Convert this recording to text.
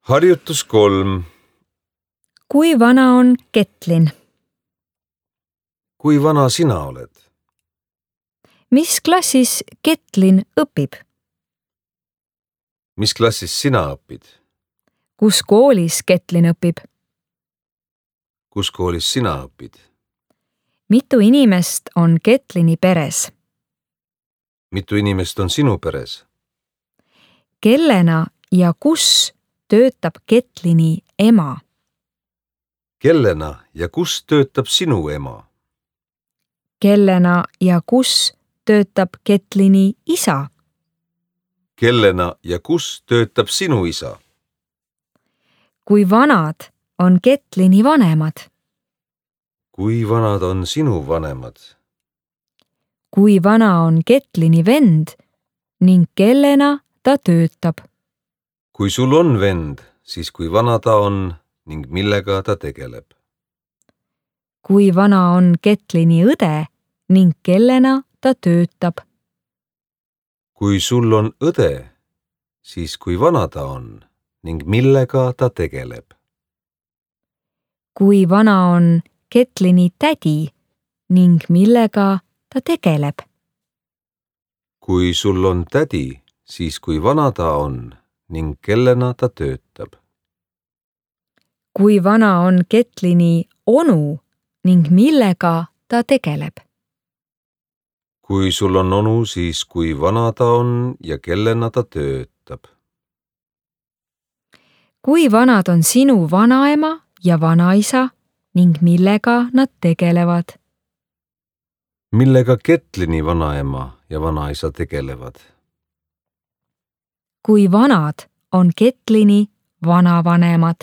Harjutus 3. Kui vana on Ketlin? Kui vana sina oled? Mis klassis Ketlin õpib? Mis klassis sina õpid? Kus koolis Ketlin õpib? Kus koolis sina õpid? Mitu inimest on Ketlini peres? Mitu inimest on sinu peres? Kellena ja kus töötab Ketlini ema? Kellena ja kus töötab sinu ema? Kellena ja kus töötab Ketlini isa? Kellena ja kus töötab sinu isa? Kui vanad on Ketlini vanemad? Kui vanad on sinu vanemad? Kui vana on Ketlini vend ning kellena ta töötab? Kui sul on vend, siis kui vana ta on ning millega ta tegeleb? Kui vana on Ketlini õde ning kellena ta töötab? Kui sul on õde, siis kui vana ta on ning millega ta tegeleb? Kui vana on Ketlini tädi ning millega ta tegeleb? Kui sul on tädi, siis kui vana ta on ning kellena ta töötab? Kui vana on Ketlini onu ning millega ta tegeleb? Kui sul on onu, siis kui vana ta on ja kellena ta töötab? Kui vanad on sinu vanaema ja vanaisa ning millega nad tegelevad? Millega Ketlini vanaema ja vanaisa tegelevad? Kui vanad on Ketlini vanavanemad?